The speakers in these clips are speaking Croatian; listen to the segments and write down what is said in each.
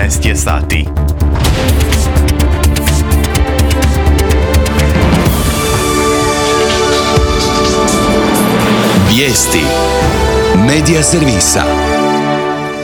13 je sati. Vijesti Medija servisa.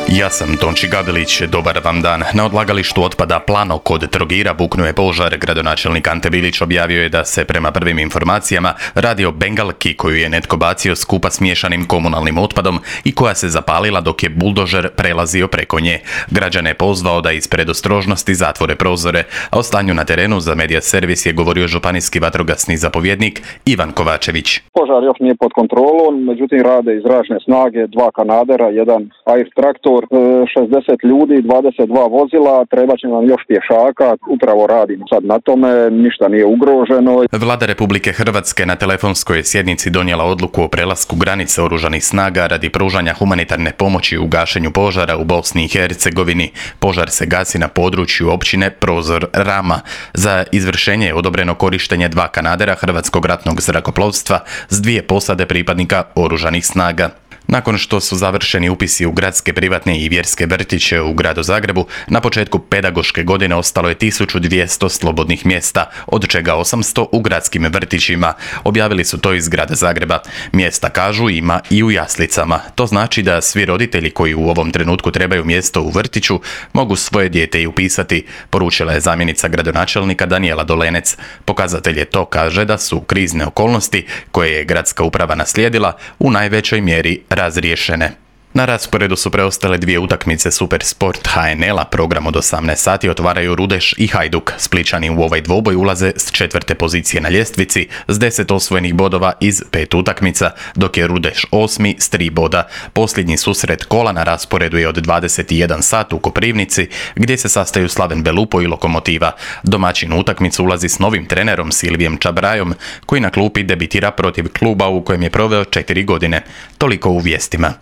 Ja sam Tonči Gavilić, dobar vam dan. Na odlagalištu otpada Plano kod Trogira buknuo je požar. Gradonačelnik Ante Bilić objavio je da se prema prvim informacijama radi o bengalki koju je netko bacio skupa s miješanim komunalnim otpadom i koja se zapalila dok je buldožer prelazio preko nje. Građane je pozvao da iz predostrožnosti zatvore prozore, a o stanju na terenu za Medija servis je govorio županijski vatrogasni zapovjednik Ivan Kovačević. Požar još nije pod kontrolom, međutim rade i zračne snage, 2 kanadera, 1 air traktor, 60 ljudi, 22 vozila, treba će nam još pješaka, upravo radimo sad na tome, ništa nije ugroženo. Vlada Republike Hrvatske na telefonskoj sjednici donijela odluku o prelasku granice oružanih snaga radi pružanja humanitarne pomoći u gašenju požara u Bosni i Hercegovini. Požar se gasi na području općine Prozor Rama. Za izvršenje je odobreno korištenje 2 kanadera Hrvatskog ratnog zrakoplovstva s 2 posade pripadnika oružanih snaga. Nakon što su završeni upisi u gradske, privatne i vjerske vrtiće u gradu Zagrebu, na početku pedagoške godine ostalo je 1200 slobodnih mjesta, od čega 800 u gradskim vrtićima. Objavili su to iz grada Zagreba. Mjesta, kažu, ima i u jaslicama. To znači da svi roditelji koji u ovom trenutku trebaju mjesto u vrtiću mogu svoje dijete i upisati, poručila je zamjenica gradonačelnika Danijela Dolenec. Pokazatelj je to, kaže, da su krizne okolnosti koje je gradska uprava naslijedila u najvećoj mjeri razriješene. Na rasporedu su preostale 2 utakmice Supersport HNL-a. Program od 18 sati otvaraju Rudeš i Hajduk. Splićani u ovaj dvoboj ulaze s 4. pozicije na ljestvici s 10 osvojenih bodova iz 5 utakmica, dok je Rudeš 8. s 3 boda. Posljednji susret kola na rasporedu je od 21 sat u Koprivnici, gdje se sastaju Slaven Belupo i Lokomotiva. Domaćin u utakmicu ulazi s novim trenerom Silvijem Čabrajom, koji na klupi debitira protiv kluba u kojem je proveo 4 godine. Toliko u vijestima.